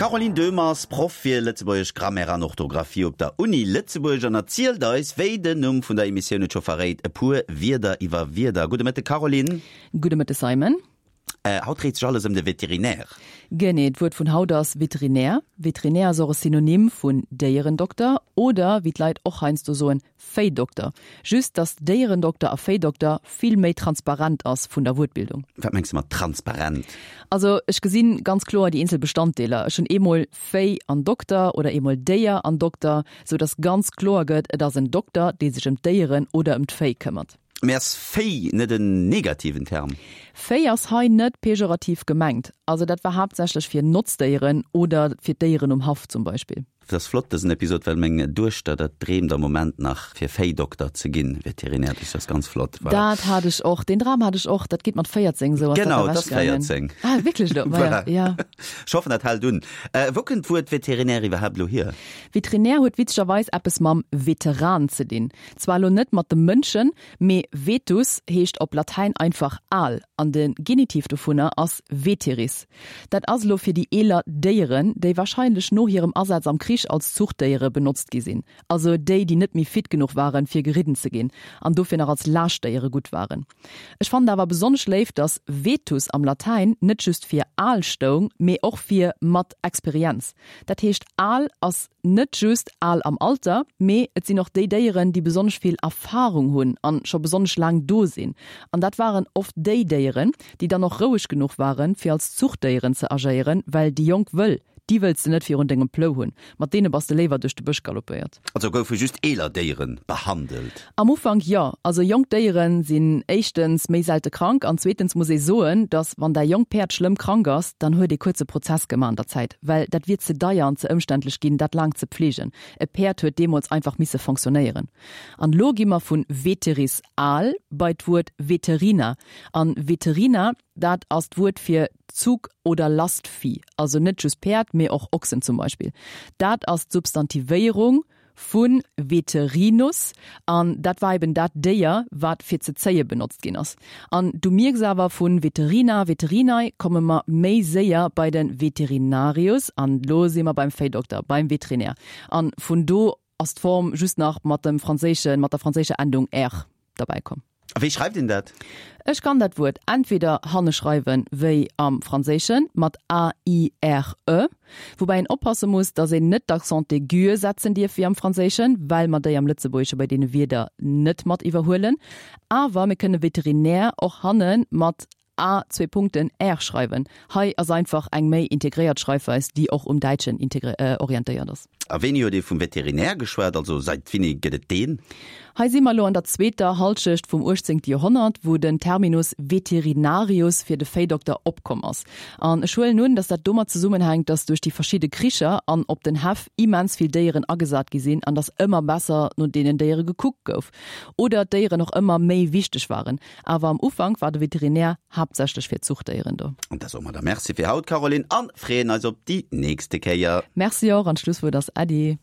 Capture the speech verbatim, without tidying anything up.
D'Caroline Döhmer ass Proff fir lëtzebuergesch Grammaire an Orthografie op der Uni Lëtzebuerg an erzielt eis, wéi den Numm vun der Emissioun et scho verréit, e puer Wierder iwwer Wierder. Gudde Mëtteg Caroline. Gudde Mëtteg Simon. Haut dréit sech alles ëm de Veterinär. Genee, d'Wuert vun haut ass Veterinär. Veterinär ass och e Synonym vun Déierendokter oder, wéi d'Leit och heiansdo soen, Véidokter. Just dass Déierendokter a Véidokter vill méi transparent ass vun der Wuertbildung. Wat mengs de mat transparent? Also ech gesinn ganz kloer déi eenzel Bestanddeeler. Ech hunn eemol Véi an Dokter oder eemol Déier an Dokter, sou dass ganz kloer gëtt, et ass en Dokter, dee sech ëm d'Déieren oder ëm d'Véi këmmert. Mee ass Véi net en negativen Term? Véi ass hei net pejorativ gemengt. Also dat war haaptsächlech fir Notzdéieren oder fir d'Déieren um Haff zum Beispill. Dat ass flott dësen Episod, well meng Duechter dat dreemt am Moment nach fir Véidokter ze ginn, Veterinär, dat ass ganz flott. Voilà. Dat hat ech och, deen Dram hat ech och, dat geet mat véierzéng esou ass dat Genau, dat ass ewechgaangen. véierzéng. Ah wierklech elo? Maja, Voilà. ja. Ech hoffen dat hält un. Wou kënnt d'Wuert Veterinär iwwerhaapt elo hier? Veterinär huet witzegerweis eppes mam Veteran ze dinn. Zwar elo net mat de Mënschen, mee vetus heescht op Latäin einfach al an de Genitiv dovunner ass veteris. Dat ass elo fir déi eeler Déieren, déi warscheinlech no hirem Asaz am Krich als Zuchtdéiere benotzt gi sinn, also déi, déi net méi fit genuch waren, fir geridden ze ginn an dofir nach als Laaschtdéiere gutt waren. Ech fannen awer besonnesch léif, dass vetus am Latäin net just fir al stoung, mee och fir mat Experienz. Dat heescht, al ass net just al am Alter, mee et sinn och déi Déieren, déi besonnesch vill Erfarung hunn an scho besonnesch laang do sinn. An dat waren oft déi Déieren, déi dann och roueg genuch waren, fir als Zuchtdéieren ze agéieren, well déi jonk Wëll, déi wëlls de net virun dengem Plou hunn, mat deene bass de léiwer duerch de Bësch galoppéiert. Also goufe just eeler Déiere behandelt? Am Ufank jo. Also jonk Déiere sinn éischtens méi selte krank an zweetens muss ee soen, dass wann däi jonkt Päerd schlëmm krank ass, dann huet ee kuerze Prozess gemaach an der Zäit, well dat wier ze deier an ze ëmständlech ginn, dat laang ze pfleegen. E Päerd huet deemools einfach misse fonctionnéieren. An elo gi mer vu veteris, al, bei d'Wuert veterina. An veterina, dat ass d'Wuert fir Zug oder Lastvieh, also net just Päerd, mee och Ochsen zum Beispill. Dat ass d'Substantivéierung vu veterinus an dat war eben dat Déier, wat fir ze zéie benotzt ginn ass. An du mierks awer, vu veterina, veterinae komme mer méi séier bei de veterinarius an elo si mer beim Véidokter, beim Veterinär. An vun do ass d'Form just nach mat dem franséischen, mat der franséischer Endung aire derbäi komm. A wéi schreift een dat? Ech kann dat Wuert entweder hanne schreiwen, wéi am Franséischen, mat a i r e, woubäi een oppasse muss, datt een net d'Accent aigu setzen dierf wéi am Franséischen, well mer déi am Lëtzebuergesche bei deene Wierder net mat iwwerhuelen. Awer mir kënne Veterinär och hanne mat a zwee Punkten r schreiwen. Hei ass einfach eng méi integréiert Schreifweis, déi och um Däitschen orientéiert ass. A wéini huet ee vum Veterinär geschwat? Also säit wéini gëtt et deen? Hei si mer elo an der zweeter Halschecht vum uechtzéngte Joerhonnert, wou den Terminus veterinarius fir de Véidokter opkomm ass. An ech huelen un, datt dat domat zesummenhänkt, datt duerch déi verschidde Kricher an op den Häff immens vill Déieren agesat gi sinn an datt ëmmer besser no deenen Déiere gekuckt gouf oder d'Déieren och ëmmer méi wichteg waren. Awer am Ufank war de Veterinär haaptsächlech fir d'Zuchtdéieren do. An da soe mer da Merci fir haut, Caroline, an freeën eis op déi nächste Kéier. Merci och, an d'Schlusswuert ass Äddi.